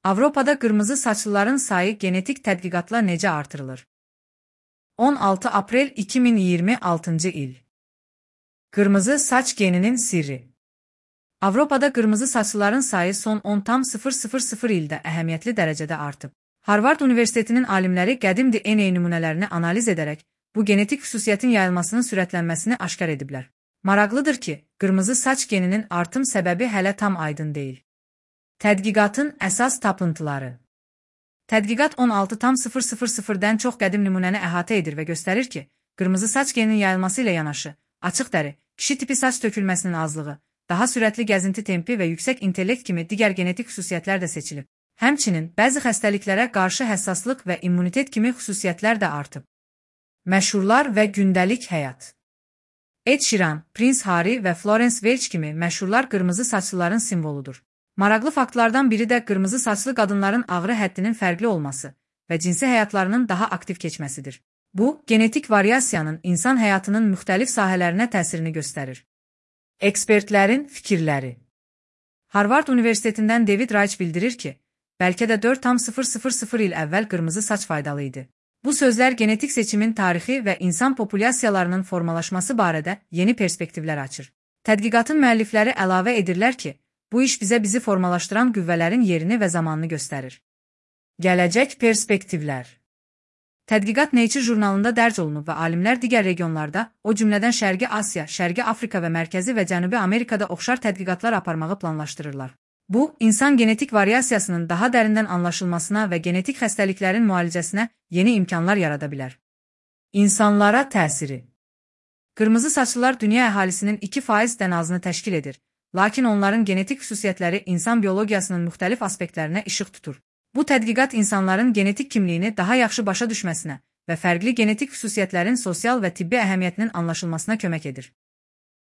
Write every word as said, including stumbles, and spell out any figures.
Avropada qırmızı saçlıların sayı genetik tədqiqatla necə artırılır? on altı aprel iki min iyirmi altıncı il. Qırmızı saç geninin sirri. Avropada qırmızı saçlıların sayı son on tam sıfır sıfır sıfır ildə əhəmiyyətli dərəcədə artıb. Harvard Universitetinin alimləri qədim D N A nümunələrini analiz edərək bu genetik xüsusiyyətin yayılmasının sürətlənməsini aşkar ediblər. Maraqlıdır ki, qırmızı saç geninin artım səbəbi hələ tam aydın deyil. Tədqiqatın əsas tapıntıları. Tədqiqat on altı tam sıfır sıfır sıfırdən çox qədim nümunəni əhatə edir və göstərir ki, qırmızı saç geninin yayılması ilə yanaşı, açıq dəri, kişi tipi saç tökülməsinin azlığı, daha sürətli gəzinti tempi və yüksək intellekt kimi digər genetik xüsusiyyətlər də seçilib. Həmçinin, bəzi xəstəliklərə qarşı həssaslıq və immunitet kimi xüsusiyyətlər də artıb. Məşhurlar və gündəlik həyat. Ed Sheeran, Prince Harry və Florence Welch kimi məşhurlar qırmızı saçlıların simvoludur. Maraqlı faktlardan biri də qırmızı saçlı qadınların ağrı həddinin fərqli olması və cinsi həyatlarının daha aktiv keçməsidir. Bu, genetik variasiyanın insan həyatının müxtəlif sahələrinə təsirini göstərir. Ekspertlərin fikirləri. Harvard Universitetindən David Reich bildirir ki, bəlkə də dörd tam sıfır sıfır sıfır il əvvəl qırmızı saç faydalı idi. Bu sözlər genetik seçimin tarixi və insan populyasiyalarının formalaşması barədə yeni perspektivlər açır. Tədqiqatın müəllifləri əlavə edirlər ki, bu iş bizə bizi formalaşdıran qüvvələrin yerini və zamanını göstərir. Gələcək perspektivlər. Tədqiqat Nature jurnalında dərc olunub və alimlər digər regionlarda, o cümlədən Şərqi Asiya, Şərqi Afrika və Mərkəzi və Cənubi Amerikada oxşar tədqiqatlar aparmağı planlaşdırırlar. Bu, insan genetik variasiyasının daha dərindən anlaşılmasına və genetik xəstəliklərin müalicəsinə yeni imkanlar yarada bilər. İnsanlara təsiri. Qırmızı saçlılar dünya əhalisinin iki faizdən azını təşkil edir, lakin onların genetik xüsusiyyətləri insan biologiyasının müxtəlif aspektlərinə işıq tutur. Bu tədqiqat insanların genetik kimliyini daha yaxşı başa düşməsinə və fərqli genetik xüsusiyyətlərin sosial və tibbi əhəmiyyətinin anlaşılmasına kömək edir.